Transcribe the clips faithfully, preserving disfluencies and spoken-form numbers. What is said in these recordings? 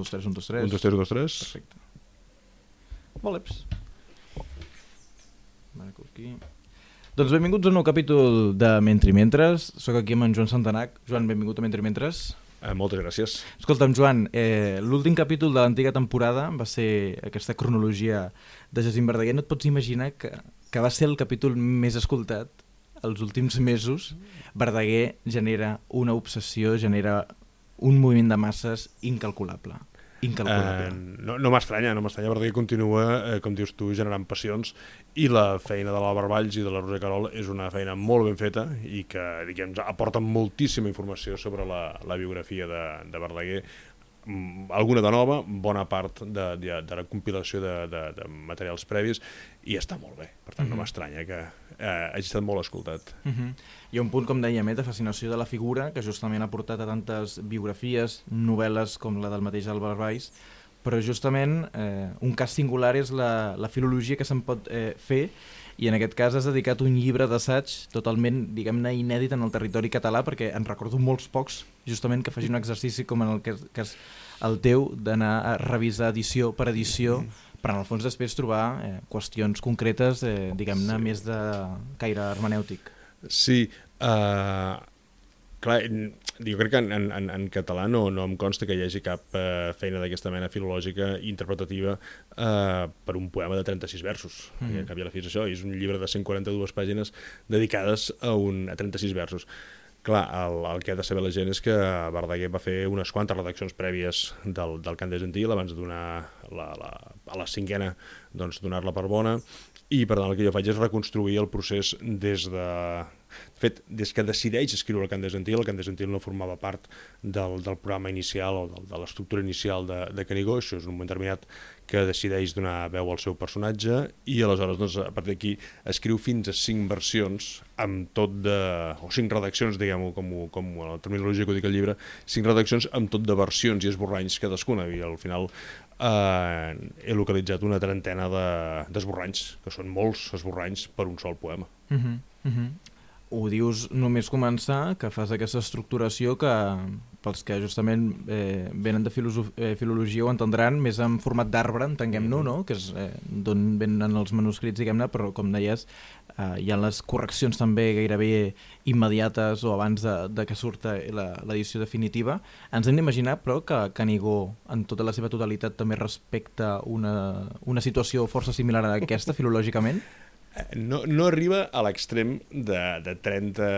dos, tres, un, dos, tres. Un, dos, tres, un, dos, tres. Perfecte. Voleps. Aquí. Doncs benvinguts a un nou capítol de Mentri Mentres. Soc aquí amb en Joan Santanac. Joan, benvingut a Mentri Mentres. Eh, moltes gràcies. Escolta'm, Joan, eh, l'últim capítol de l'antiga temporada va ser aquesta cronologia de Jacint Verdaguer. No et pots imaginar que, que va ser el capítol més escoltat els últims mesos. Verdaguer genera una obsessió, genera un moviment de masses incalculable. Incalculable. Eh, no no m'estranya, no m'estranya, Verdaguer continua, eh, com dius tu, generant passions, i la feina de l'Àlvar Valls i de la Roser Querol és una feina molt ben feta i que, diguem, aporta moltíssima informació sobre la, la biografia de, de Verdaguer, alguna de nova, bona part de, de, de la compilació de, de, de materials previs, i està molt bé. Per tant, mm-hmm. no m'estranya que eh, hagi estat molt escoltat. Mm-hmm. Hi ha un punt, com dèiem, eh, de fascinació de la figura, que justament ha portat a tantes biografies, novel·les com la del mateix Àlvar Valls, però justament eh, un cas singular és la, la filologia que se'n pot eh, fer, i en aquest cas has dedicat un llibre d'assaig totalment, diguem-ne, inèdit en el territori català, perquè en recordo molts pocs, justament, que facin un exercici com en el cas, cas el teu, d'anar a revisar edició per edició, mm. per en el fons després trobar eh, qüestions concretes, eh, diguem-ne, sí. més de caire hermenèutic. Sí, uh, clar, jo crec que en, en, en català no, no em consta que hi hagi cap uh, feina d'aquesta mena filològica interpretativa uh, per un poema de trenta-sis versos. Mm. I, cap i a la fi és això, és un llibre de cent quaranta-dues pàgines dedicades a, un, a trenta-sis versos. Clar, el, el que ha de saber la gent és que Verdaguer va fer unes quantes redaccions prèvies del, del cant de Gentil abans de donar la, la, a la cinquena, doncs donar-la per bona, i per tant el que jo faig és reconstruir el procés des de... De fet, des que decideix escriure el cant de Gentil, el cant de Gentil no formava part del, del programa inicial o del, de l'estructura inicial de, de Canigó. Això és un moment determinat que decideix donar veu al seu personatge, i aleshores, doncs, a partir d'aquí escriu fins a cinc versions amb tot de... o cinc redaccions, diguem-ho, com, com la terminologia que ho dic al llibre, cinc redaccions amb tot de versions i esborranys cadascuna, i al final eh, he localitzat una trentena d'esborranys, de, que són molts esborranys per un sol poema. Mhm, mhm. Ho dius només començar, que fas aquesta estructuració que pels que justament eh, venen de eh, filologia ho entendran, més en format d'arbre, entenguem-no, no? Que és eh, d'on venen els manuscrits, diguem-ne, però com deies, eh, hi ha les correccions també gairebé immediates o abans de, de que surta l'edició definitiva. Ens hem d'imaginar, però, que Canigó, en tota la seva totalitat, també respecta una, una situació força similar a aquesta, filològicament? No, no arriba a l'extrem de, de, trenta,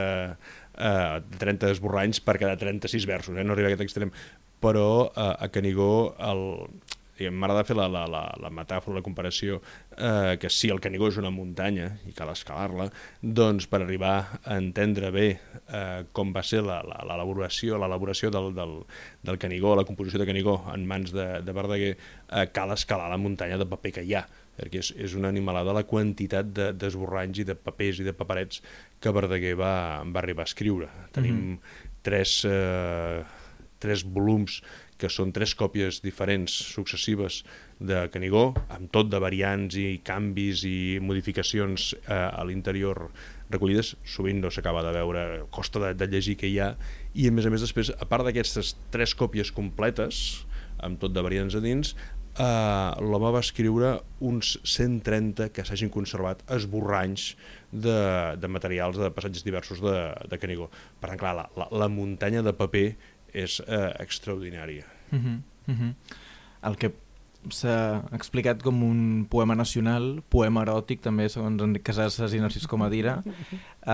uh, de trenta esborranys per cada trenta-sis versos, eh? No arriba a aquest extrem, però uh, a Canigó m'agrada fer la, la, la, la metàfora, la comparació, uh, que si el Canigó és una muntanya i cal escalar-la, doncs per arribar a entendre bé uh, com va ser l'elaboració l'elaboració del, del, del Canigó, la composició de Canigó en mans de, de Verdaguer, uh, cal escalar la muntanya de paper que hi ha, perquè és, és una animalada la quantitat d'esborranys de, i de papers i de paperets que Verdaguer va, va arribar a escriure. Tenim mm-hmm. tres, eh, tres volums que són tres còpies diferents, successives, de Canigó, amb tot de variants i canvis i modificacions eh, a l'interior recollides. Sovint no s'acaba de veure, costa de, de llegir què hi ha, i a més a més després, a part d'aquestes tres còpies completes, amb tot de variants a dins, Uh, l'home va escriure uns cent trenta que s'hagin conservat esborranys de, de materials, de passatges diversos de, de Canigó. Per tant, clar, la, la, la muntanya de paper és uh, extraordinària. Uh-huh, uh-huh. El que s'ha explicat com un poema nacional, poema eròtic també, segons Enric Casasses i Narcís Comadira, uh,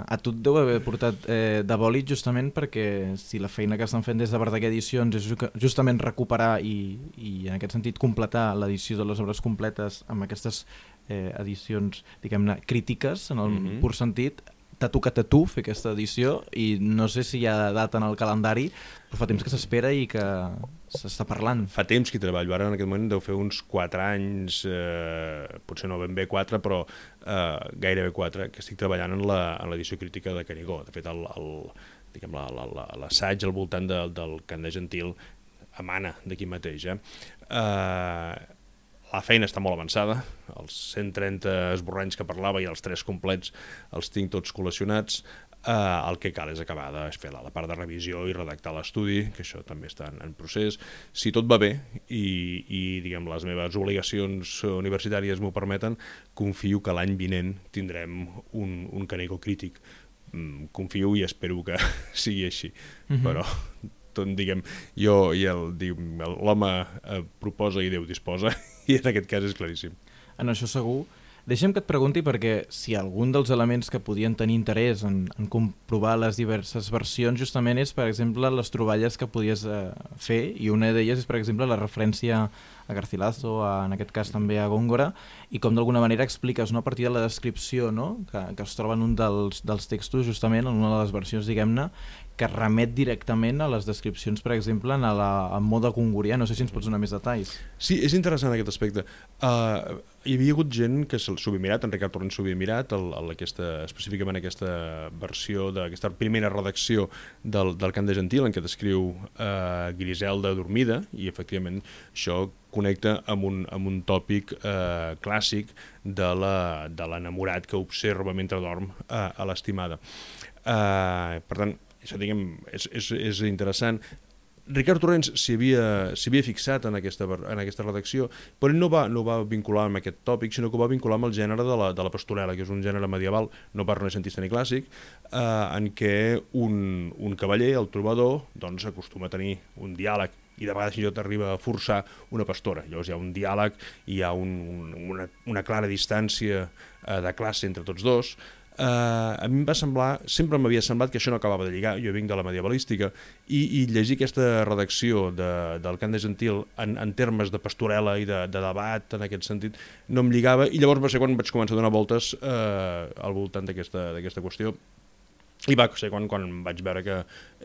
a tu et deu haver portat eh, de bòlit justament perquè si la feina que estan fent des de Verdaguer Edicions és justament recuperar i, i en aquest sentit completar l'edició de les obres completes amb aquestes eh, edicions, diguem-ne, crítiques en el mm-hmm. pur sentit, t'ha tocat a tu fer aquesta edició i no sé si hi ha data en el calendari, però fa temps que s'espera i que s'està parlant. Fa temps que hi treballo, ara en aquest moment deu fer uns quatre anys, eh, potser no ben bé quatre, però eh, gairebé quatre, que estic treballant en l'edició crítica de Canigó. De fet, l'assaig al voltant de, del cant de Gentil emana d'aquí mateix. Eh? Eh, la feina està molt avançada, els cent trenta esborranys que parlava i els tres complets els tinc tots col·leccionats. Uh, el que cal és acabar de fer la, la part de revisió i redactar l'estudi, que això també està en, en procés. Si tot va bé i, i diguem, les meves obligacions universitàries m'ho permeten, confio que l'any vinent tindrem un, un Canigó crític. Mm, confio i espero que sigui així. Mm-hmm. Però, tot, diguem, jo i l'home eh, proposa i Déu disposa, i en aquest cas és claríssim. En això segur. Deixa'm que et pregunti perquè si algun dels elements que podien tenir interès en, en comprovar les diverses versions justament és, per exemple, les troballes que podies eh, fer, i una d'elles és, per exemple, la referència a Garcilaso, a, en aquest cas també a Góngora, i com d'alguna manera expliques, no, a partir de la descripció, no, que, que es troba en un dels, dels textos, justament, en una de les versions, diguem-ne, que remet directament a les descripcions, per exemple, en, la, en mode gongorià. No sé si ens pots donar més detalls. Sí, és interessant aquest aspecte. Uh, hi havia hagut gent que s'ho havia mirat, en Ricard Torrent s'ho havia mirat, el, el, aquesta, específicament aquesta versió, d'aquesta primera redacció del, del Cant de Gentil, en què descriu uh, Griselda dormida, i efectivament això connecta amb un, amb un tòpic uh, clàssic de l'enamorat que observa mentre dorm uh, a l'estimada. Uh, per tant, això, diguem, és, és, és interessant. Ricard Torrents s'hi havia, s'hi havia fixat en aquesta, en aquesta redacció, però no va, no va vincular amb aquest tòpic, sinó que ho va vincular amb el gènere de la, de la pastorela, que és un gènere medieval, no pas renaixentista ni clàssic, eh, en què un, un cavaller, el trobador, doncs acostuma a tenir un diàleg, i de vegades fins i tot arriba a forçar una pastora. Llavors hi ha un diàleg, hi ha un, un, una, una clara distància eh, de classe entre tots dos. Uh, a mi em va semblar, sempre m'havia semblat que això no acabava de lligar, jo vinc de la medievalística, i, i llegir aquesta redacció de, del Cant de Gentil en, en termes de pastorela i de, de debat en aquest sentit no em lligava, i llavors va ser quan vaig començar a donar voltes uh, al voltant d'aquesta d'aquesta qüestió. I va ser quan, quan vaig veure que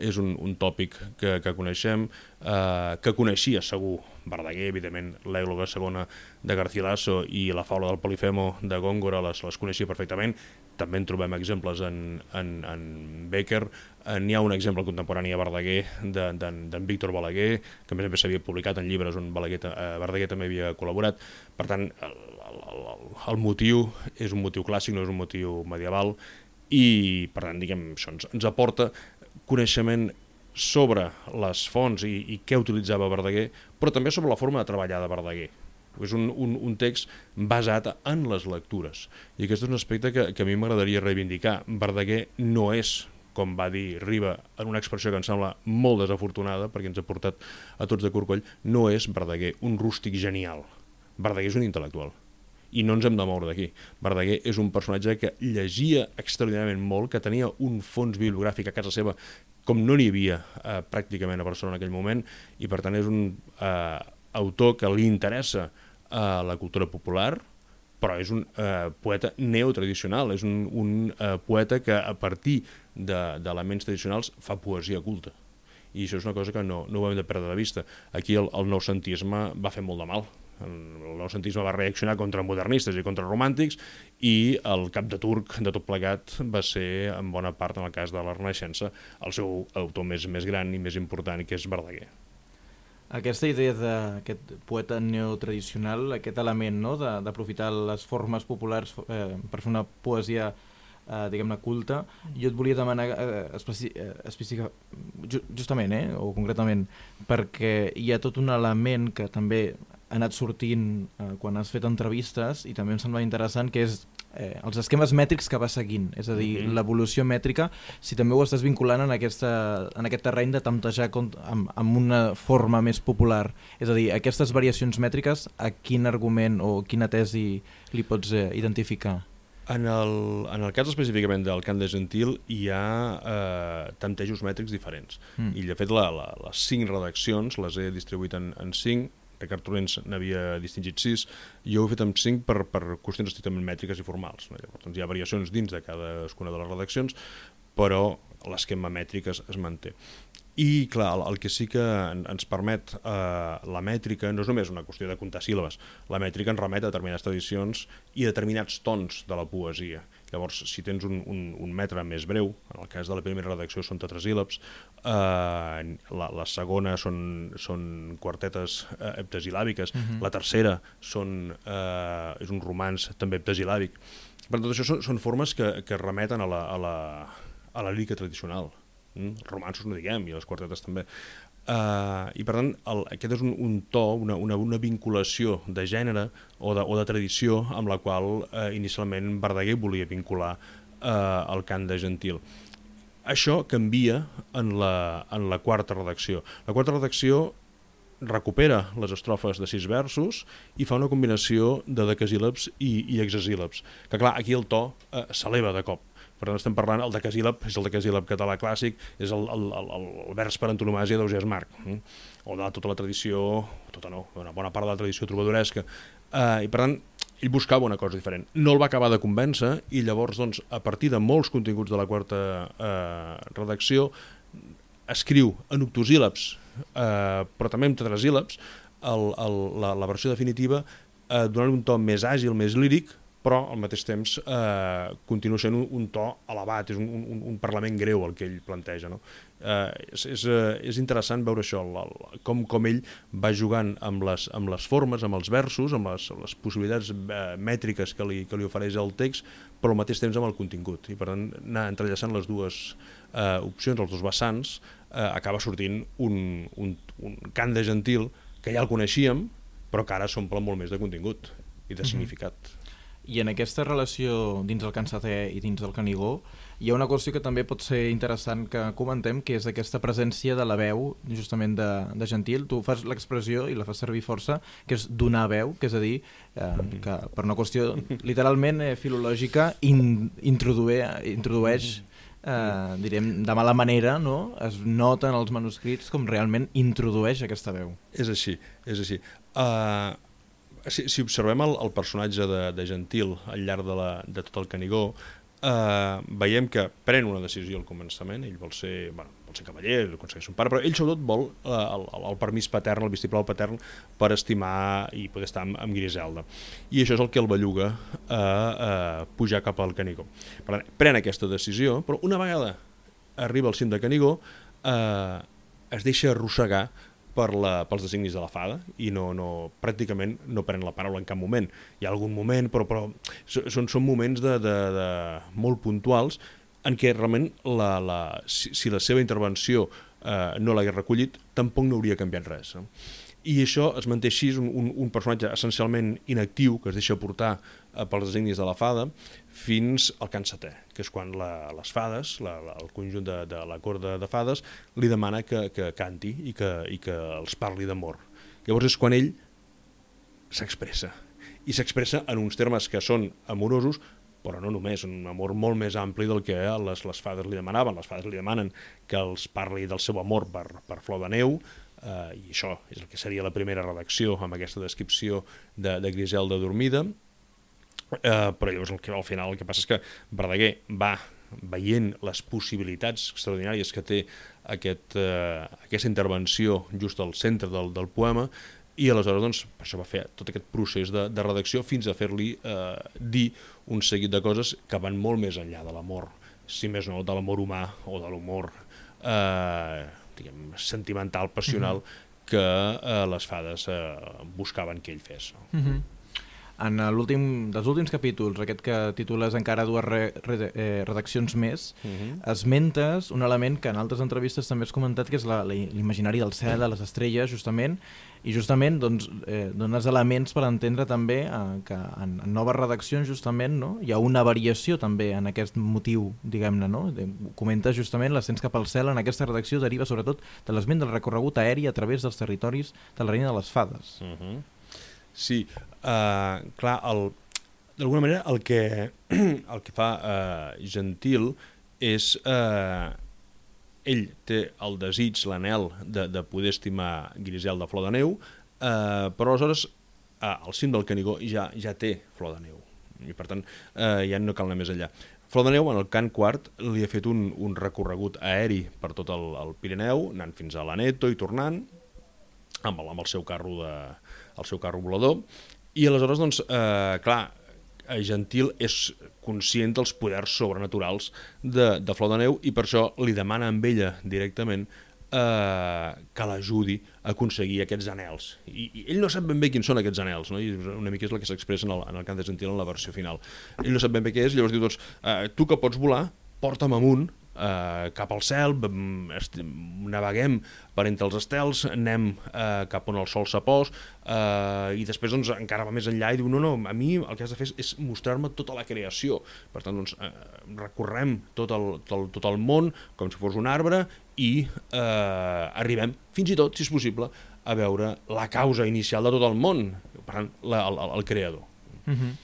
és un, un tòpic que, que coneixem, eh, que coneixia segur Verdaguer, evidentment l'èloga segona de Garcilaso i la faula del Polifemo de Góngora les, les coneixia perfectament. També en trobem exemples en, en, en Bécquer. Eh, N'hi ha un exemple contemporani a Verdaguer d'en Víctor Balaguer, que a més a més s'havia publicat en llibres on Balaguer, eh, Verdaguer també havia col·laborat. Per tant, el, el, el, el motiu és un motiu clàssic, no és un motiu medieval, i per tant, diguem, això ens, ens aporta coneixement sobre les fonts i, i què utilitzava Verdaguer, però també sobre la forma de treballar de Verdaguer. És un, un, un text basat en les lectures, i aquest és un aspecte que, que a mi m'agradaria reivindicar. Verdaguer no és, com va dir Riba, en una expressió que em sembla molt desafortunada, perquè ens ha portat a tots de corcoll, no és Verdaguer un rústic genial. Verdaguer és un intel·lectual. I no ens hem de moure d'aquí. Verdaguer és un personatge que llegia extraordinàriament molt, que tenia un fons bibliogràfic a casa seva com no n'hi havia eh, pràcticament a Barcelona en aquell moment, i per tant és un eh, autor que li interessa eh, la cultura popular, però és un eh, poeta neotradicional, és un, un eh, poeta que a partir d'elements tradicionals fa poesia culta. I això és una cosa que no, no ho hem de perdre de vista. Aquí el, el noucentisme va fer molt de mal. El noucentisme va reaccionar contra modernistes i contra romàntics, i el cap de turc de tot plegat va ser, en bona part, en el cas de la Renaixença, el seu autor més, més gran i més important, que és Verdaguer. Aquesta idea d'aquest poeta neotradicional, aquest element, no?, d'aprofitar les formes populars eh, per fer una poesia eh, diguem-ne culta, jo et volia demanar eh, especi eh, específica, ju justament, eh, o concretament, perquè hi ha tot un element que també ha anat sortint eh, quan has fet entrevistes, i també em sembla interessant, que és eh, els esquemes mètrics que va seguint, és a dir, mm-hmm. l'evolució mètrica, si també ho estàs vinculant en, aquesta, en aquest terreny de temptejar amb, amb una forma més popular. És a dir, aquestes variacions mètriques, a quin argument o quina tesi li pots eh, identificar? En el, en el cas específicament del Cant de Gentil hi ha eh, temptejos mètrics diferents. Mm. I de fet la, la, les cinc redaccions les he distribuït en, en cinc. Ricard Torrents n'havia distingit sis, jo ho he fet amb cinc per, per qüestions estrictament mètriques i formals. No? Llavors, doncs hi ha variacions dins de cadascuna de les redaccions, però l'esquema mètric es, es manté. I clar, el, el que sí que en, ens permet eh, la mètrica no és només una qüestió de comptar síl·labes, la mètrica ens remet a determinades tradicions i a determinats tons de la poesia. Llavors, si tens un, un, un metre més breu, en el cas de la primera redacció són tetrasíl·labs, eh, la, la segona són, són quartetes eh, heptasilàbiques, uh-huh. la tercera són, eh, és un romanç també heptasilàbic. Per tot això són, són formes que, que remeten a la, a la, a la lírica tradicional. Mm? Romanços no diguem, i les quartetes també. Uh, I per tant, el, aquest és un, un to, una, una, una vinculació de gènere o de, o de tradició amb la qual uh, inicialment Verdaguer volia vincular uh, el cant de Gentil. Això canvia en la, en la quarta redacció. La quarta redacció recupera les estrofes de sis versos i fa una combinació de decasíl·labs i, i hexasíl·labs, que clar, aquí el to uh, s'eleva de cop. Per tant, estem parlant, el decasíl·lab és el decasíl·lab català clàssic, és el, el, el, el vers per antonomàsia d'Ausiàs Marc, eh? o de tota la tradició, tota no, una bona part de la tradició trobadoresca. Eh, I per tant, ell buscava una cosa diferent. No el va acabar de convèncer i llavors, doncs, a partir de molts continguts de la quarta eh, redacció, escriu en octosíl·labs, eh, però també en tetrasíl·labs, el, el, la, la versió definitiva, eh, donant un to més àgil, més líric, però al mateix temps eh, continua sent un, un to elevat, és un, un, un parlament greu el que ell planteja. No? Eh, és, és, és interessant veure això, el, el, com, com ell va jugant amb les, amb les formes, amb els versos, amb les, amb les possibilitats eh, mètriques que li, que li ofereix el text, però al mateix temps amb el contingut. I per tant, anar entrellaçant les dues eh, opcions, els dos vessants, eh, acaba sortint un, un, un cant de Gentil que ja el coneixíem, però que ara s'omple molt més de contingut i de significat. Mm-hmm. I en aquesta relació dins el Can Setè i dins del Canigó hi ha una qüestió que també pot ser interessant que comentem, que és aquesta presència de la veu justament de, de Gentil. Tu fas l'expressió i la fas servir força, que és donar veu, que és a dir, eh, que per una qüestió literalment eh, filològica in, introdueix, introdueix eh, direm, de mala manera, no? Es nota en els manuscrits com realment introdueix aquesta veu. És així, és així. Uh... Si, si observem el, el personatge de, de Gentil al llarg de, la, de tot el Canigó, eh, veiem que pren una decisió al començament, ell vol ser, bueno, vol ser cavaller, aconsegueix un pare, però ell sobretot vol eh, el, el permís patern, el vistiplau patern, per estimar i poder estar amb, amb Griselda. I això és el que el belluga a, a pujar cap al Canigó. Per tant, pren aquesta decisió, però una vegada arriba al cim de Canigó, eh, es deixa arrossegar per la, pels designis de la fada i no, no, pràcticament no pren la paraula en cap moment. Hi ha algun moment, però, però són, són moments de, de, de molt puntuals en què realment la, la, si, si la seva intervenció eh, no l'hagués recollit, tampoc no hauria canviat res. No? I això es manté així, un, un, un personatge essencialment inactiu que es deixa portar eh, pels designis de la fada fins al Can Setè, que és quan la, les fades, la, la, el conjunt de, de la cort de, de fades, li demana que, que canti i que, i que els parli d'amor. Llavors és quan ell s'expressa. I s'expressa en uns termes que són amorosos, però no només, un amor molt més ampli del que les, les fades li demanaven. Les fades li demanen que els parli del seu amor per, per Flor de Neu, eh, i això és el que seria la primera redacció amb aquesta descripció de, de Griselda dormida. Uh, però llavors el que, al final el que passa és que Verdaguer va veient les possibilitats extraordinàries que té aquest, uh, aquesta intervenció just al centre del, del poema i aleshores doncs, per això va fer tot aquest procés de, de redacció fins a fer-li uh, dir un seguit de coses que van molt més enllà de l'amor, si més no de l'amor humà o de l'humor uh, diguem, sentimental, passional mm-hmm. que uh, les fades uh, buscaven que ell fes. No? Mm-hmm. En l'últim dels últims capítols, aquest que titules encara dues re, re, eh, redaccions més, uh-huh. esmentes un element que en altres entrevistes també has comentat, que és la, l'imaginari del cel, de les estrelles, justament, i justament doncs, eh, dones elements per entendre també eh, que en, en noves redaccions justament no, hi ha una variació també en aquest motiu, diguem-ne, no? Comentes justament l'ascens cap al cel en aquesta redacció deriva sobretot de l'esment del recorregut aeri a través dels territoris de la Reina de les Fades. Uh-huh. Sí, uh, clar, el, d'alguna manera el que, el que fa uh, Gentil és... Uh, ell té el desig, l'anhel de, de poder estimar Griselda Flor de Neu, uh, però aleshores uh, al cim del Canigó ja, ja té Flor de Neu i per tant uh, ja no cal anar més enllà. Flor de Neu en el cant quart li ha fet un, un recorregut aeri per tot el, el Pirineu, anant fins a l'Aneto i tornant amb el, amb el seu carro de, el seu carro volador, i aleshores doncs, eh, clar, Gentil és conscient dels poders sobrenaturals de, de Flor de Neu i per això li demana amb ella directament eh, que l'ajudi a aconseguir aquests anels. I, I ell no sap ben bé quins són aquests anels, no? I una mica és el que s'expressa en el, en el cant de Gentil en la versió final. Ell no sap ben bé què és, llavors diu, doncs, eh, tu que pots volar, porta'm amunt, Uh, cap al cel, naveguem per entre els estels, anem uh, cap on el sol s'apòs uh, i després doncs, encara va més enllà i diu no, no, a mi el que has de fer és mostrar-me tota la creació, per tant doncs, uh, recorrem tot el, tot, el, tot el món com si fos un arbre i uh, arribem fins i tot, si és possible, a veure la causa inicial de tot el món, per tant, la, el, el creador. Mm-hmm.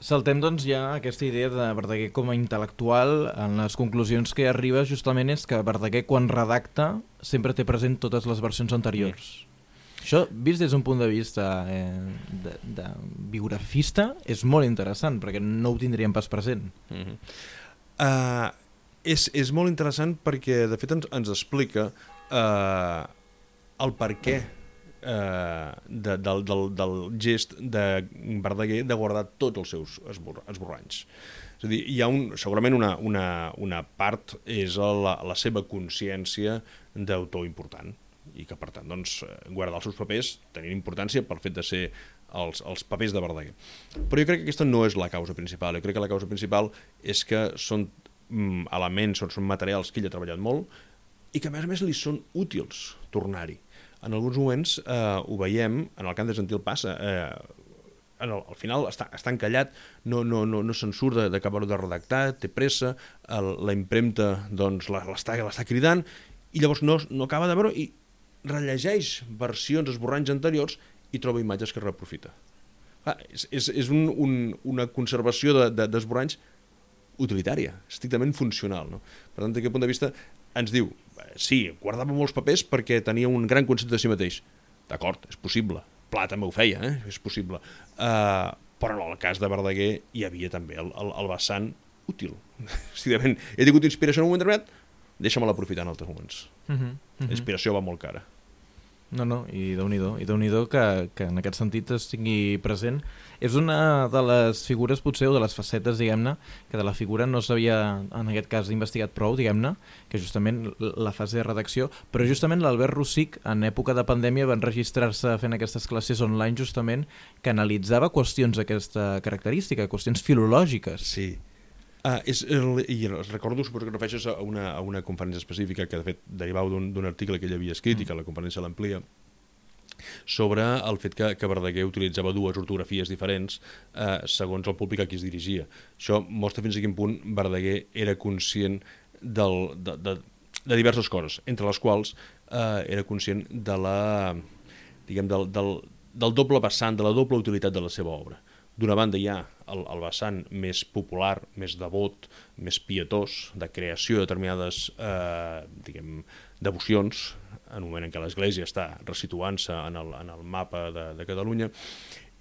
Saltem doncs ja aquesta idea de Verdaguer com a intel·lectual. En les conclusions que arriba justament és que Verdaguer quan redacta sempre té present totes les versions anteriors. Mm. Això, vist des d'un punt de vista eh, de, de biografista, és molt interessant perquè no ho tindríem pas present. Mm-hmm. uh, és, és molt interessant perquè de fet ens, ens explica uh, el per què Uh, de, del, del, del gest de Verdaguer de guardar tots els seus esbor, esborranys. És a dir, hi ha un, segurament una, una, una part és la, la seva consciència d'autor important i que per tant doncs, guardar els seus papers tenint importància pel fet de ser els, els papers de Verdaguer. Però jo crec que aquesta no és la causa principal. Jo crec que la causa principal és que són mm, elements, són, són materials que ell ha treballat molt i que a més a més li són útils tornar-hi. En alguns moments eh, ho veiem, en el cant de Gentil passa, eh, en el, al final està, està encallat, no, no, no, no se'n surt d'acabar-ho de redactar, té pressa, el, la impremta doncs, l'està cridant, i llavors no, no acaba de veure i rellegeix versions, esborranys anteriors i troba imatges que reprofita. Ah, és és, és un, un, una conservació d'esborranys de, de, utilitària, estrictament funcional. No? Per tant, d'aquest punt de vista, ens diu, sí, guardava molts papers perquè tenia un gran concepte de si mateix. D'acord, és possible. Pla també ho feia, eh? És possible. Uh, però en el cas de Verdaguer hi havia també el, el, el vessant útil. Estrictament, he tingut inspiració en un moment determinat, deixa-me-la aprofitar en altres moments. Uh -huh, uh -huh. La inspiració va molt cara. No, no, i Déu-n'hi-do, i Déu-n'hi-do que, que en aquest sentit es tingui present. És una de les figures, potser, o de les facetes, diguem-ne, que de la figura no s'havia, en aquest cas, investigat prou, diguem-ne, que justament la fase de redacció, però justament l'Albert Rosic, en època de pandèmia, va enregistrar-se fent aquestes classes online, justament, que analitzava qüestions d'aquesta característica, qüestions filològiques. Sí. Uh, és el, i recordo, suposo que refereixes a una, a una conferència específica que de fet derivava d'un article que ell havia escrit mm. i que la conferència l'amplia sobre el fet que, que Verdaguer utilitzava dues ortografies diferents eh, segons el públic a qui es dirigia. Això mostra fins a quin punt Verdaguer era conscient del, de, de, de diverses coses, entre les quals eh, era conscient de la, diguem, del, del, del doble vessant, de la doble utilitat de la seva obra. D'una banda hi ha el, el vessant més popular, més devot, més pietós, de creació de determinades eh, diguem, devocions, en un moment en què l'Església està resituant-se en, el, en el mapa de, de Catalunya,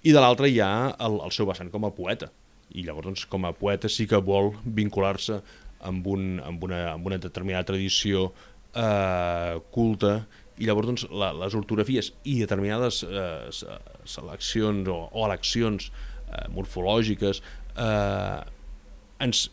i de l'altra hi ha el, el seu vessant com a poeta. I llavors, doncs, com a poeta sí que vol vincular-se amb, un, amb, una, amb una determinada tradició eh, culta, i llavors doncs, la, les ortografies i determinades eh, seleccions o, o eleccions eh, morfològiques eh, ens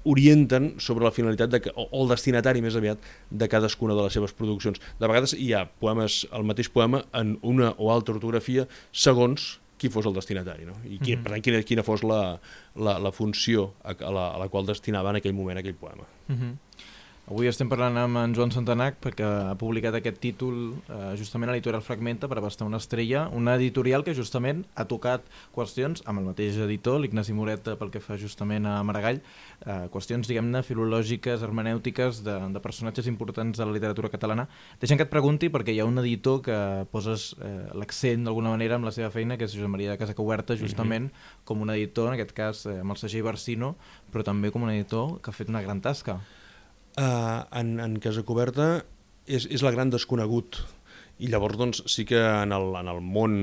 orienten sobre la finalitat de que, o, o el destinatari més aviat de cadascuna de les seves produccions. De vegades hi ha poemes, el mateix poema en una o altra ortografia segons qui fos el destinatari, no? I qui, mm-hmm. per tant, quina, quina fos la, la, la funció a, a, la, a la qual destinava en aquell moment aquell poema. Mm-hmm. Avui estem parlant amb en Joan Santanac perquè ha publicat aquest títol eh, justament a l'editorial Fragmenta, per abastar una estrella, una editorial que justament ha tocat qüestions amb el mateix editor, l'Ignasi Moret, pel que fa justament a Maragall, eh, qüestions, diguem-ne, filològiques, hermenèutiques, de, de personatges importants de la literatura catalana. Deixa'm que et pregunti, perquè hi ha un editor que poses eh, l'accent d'alguna manera amb la seva feina, que és Josep Maria de Casacuberta, justament mm-hmm. com un editor, en aquest cas eh, amb el segell Barsino, però també com un editor que ha fet una gran tasca. Uh, en, en Casacuberta és, és la gran desconegut i llavors doncs, sí que en el, en el món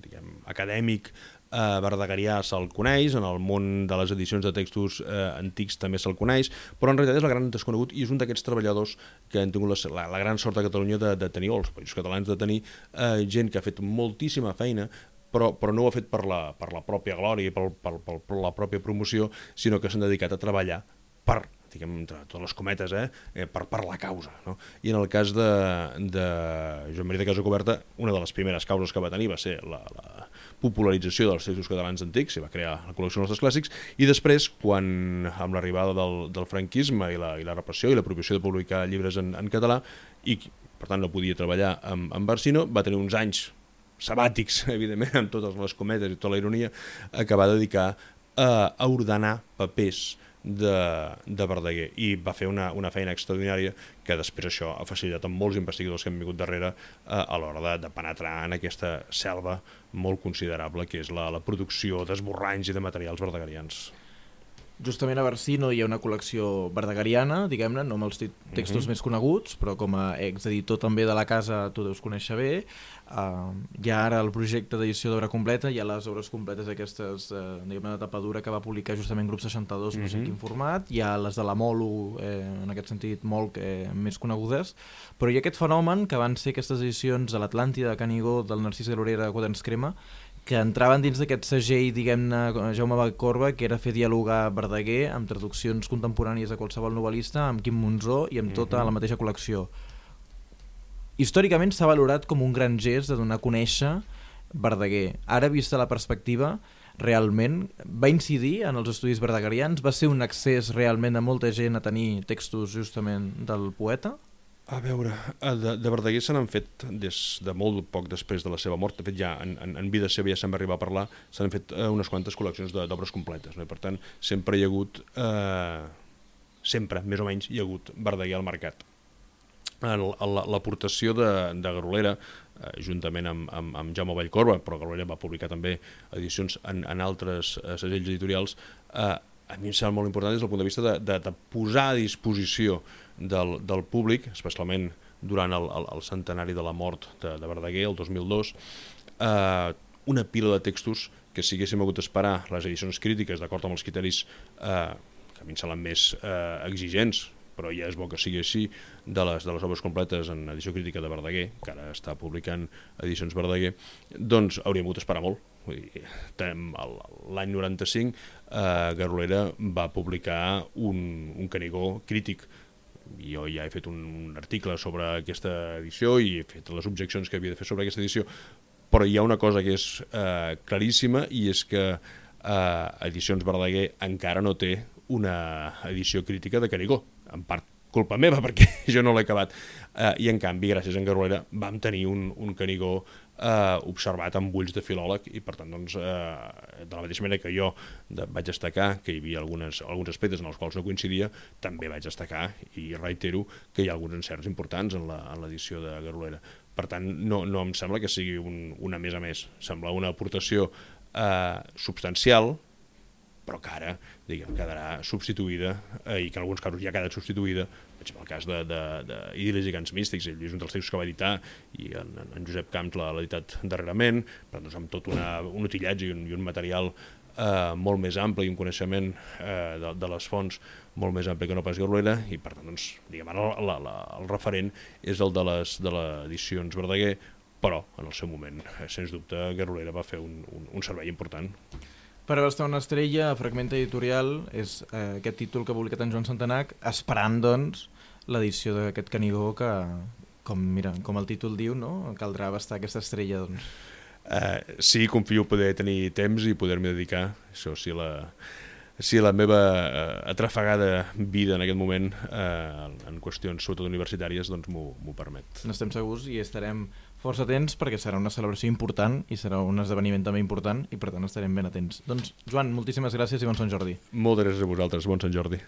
diguem, acadèmic eh, verdegarià se'l coneix, en el món de les edicions de textos eh, antics també se'l coneix, però en realitat és la gran desconegut i és un d'aquests treballadors que han tingut la, la, la gran sort a Catalunya de, de tenir, o els països catalans de tenir eh, gent que ha fet moltíssima feina però, però no ho ha fet per la, per la pròpia glòria i per, per, per, per la pròpia promoció, sinó que s'han dedicat a treballar per, diguem, entre totes les cometes, eh, eh, per, per la causa. No? I en el cas de, de Joan Maria de Casacoberta, una de les primeres causes que va tenir va ser la, la popularització dels textos catalans antics, i va crear la col·lecció dels nostres clàssics, i després, quan amb l'arribada del, del franquisme i la, i la repressió i la prohibició de publicar llibres en, en català, i per tant no podia treballar amb, amb Barcino, va tenir uns anys sabàtics, evidentment, amb totes les cometes i tota la ironia, que va dedicar a, a ordenar papers de, de Verdaguer, i va fer una, una feina extraordinària que després això ha facilitat a molts investigadors que han vingut darrere eh, a l'hora de, de penetrar en aquesta selva molt considerable que és la, la producció d'esborranys i de materials verdaguerians. Justament a Barcino hi ha una col·lecció verdagariana, diguem-ne, no amb els textos uh-huh. més coneguts, però com a exeditor també de la casa tu deus conèixer bé. Uh, hi ha ara el projecte d'edició d'obra completa, hi ha les obres completes aquestes, uh, diguem-ne, de tapadura que va publicar justament Grup seixanta-dos, no sé uh-huh. quin format, hi ha les de la Molo, eh, en aquest sentit molt eh, més conegudes, però hi ha aquest fenomen que van ser aquestes edicions de l'Atlàntida, de Canigó, del Narcís Garolera, de Quaderns Crema, que entraven dins d'aquest segell, diguem-ne, Jaume Vallcorba, que era fer dialogar Verdaguer amb traduccions contemporànies de qualsevol novel·lista, amb Quim Monzó i amb tota la mateixa col·lecció. Històricament s'ha valorat com un gran gest de donar a conèixer Verdaguer. Ara, vista la perspectiva, realment va incidir en els estudis verdagarians? Va ser un accés realment de molta gent a tenir textos justament del poeta? A veure, de, de Verdaguer se n'han fet des de molt poc després de la seva mort. De fet, ja en, en, en vida seva ja se'n va arribar a parlar, se n'han fet eh, unes quantes col·leccions d'obres completes, no? I per tant, sempre hi ha hagut, eh, sempre, més o menys, hi ha hagut Verdaguer al mercat. L'aportació de, de Garolera, eh, juntament amb, amb, amb Jaume Vallcorba, però Garolera va publicar també edicions en, en altres eh, segells editorials, eh, a mi em sembla molt important des del punt de vista de, de, de posar a disposició del, del públic, especialment durant el, el, el centenari de la mort de, de Verdaguer, el dos mil dos, eh, una pila de textos que si haguéssim hagut d'esperar les edicions crítiques d'acord amb els criteris eh, que a mi em semblen més eh, exigents, però ja és bo que sigui així, de les, de les obres completes en edició crítica de Verdaguer, que ara està publicant edicions Verdaguer, doncs hauríem hagut d'esperar molt. L'any noranta-cinc eh, Garolera va publicar un, un Canigó crític. Jo ja he fet un, un article sobre aquesta edició i he fet les objeccions que havia de fer sobre aquesta edició, però hi ha una cosa que és eh, claríssima, i és que eh, Edicions Verdaguer encara no té una edició crítica de Canigó, en part culpa meva perquè jo no l'he acabat, eh, i en canvi gràcies a en Garolera vam tenir un, un Canigó eh, observat amb ulls de filòleg, i per tant doncs, eh, de la mateixa manera que jo de, vaig destacar que hi havia algunes, alguns aspectes en els quals no coincidia, també vaig destacar i reitero que hi ha alguns encerts importants en l'edició de Garolera. Per tant, no, no em sembla que sigui un, una més a més, sembla una aportació eh, substancial, però que ara, diguem, quedarà substituïda, eh, i que en alguns casos ja ha quedat substituïda, per exemple, el cas d'Idil·lis i Cants Místics, ell és un dels textos que va editar, i en, en Josep Camps l'ha editat darrerament, però doncs, amb tot una, un utillatge i un, i un material eh, molt més ampli, i un coneixement eh, de, de les fonts molt més ampli que no pas Garolera, i per tant, doncs, diguem, ara la, la, el referent és el de les de l'edicions Verdaguer, però en el seu moment, eh, sens dubte, Garolera va fer un, un, un servei important. Per a una estrella, Fragment Editorial, és eh, aquest títol que ha publicat en Joan Santanac, esperant, doncs, l'edició d'aquest Canigó que, com, mira, com el títol diu, no? Caldrà abastar aquesta estrella, doncs. Uh, sí, confio poder tenir temps i poder-m'hi dedicar, això si la, si la meva uh, atrafegada vida en aquest moment uh, en qüestions sobretot universitàries doncs m'ho permet. N'estem segurs i estarem força atents perquè serà una celebració important i serà un esdeveniment també important i per tant estarem ben atents. Doncs Joan, moltíssimes gràcies i bon Sant Jordi. Moltes gràcies a vosaltres, bon Sant Jordi.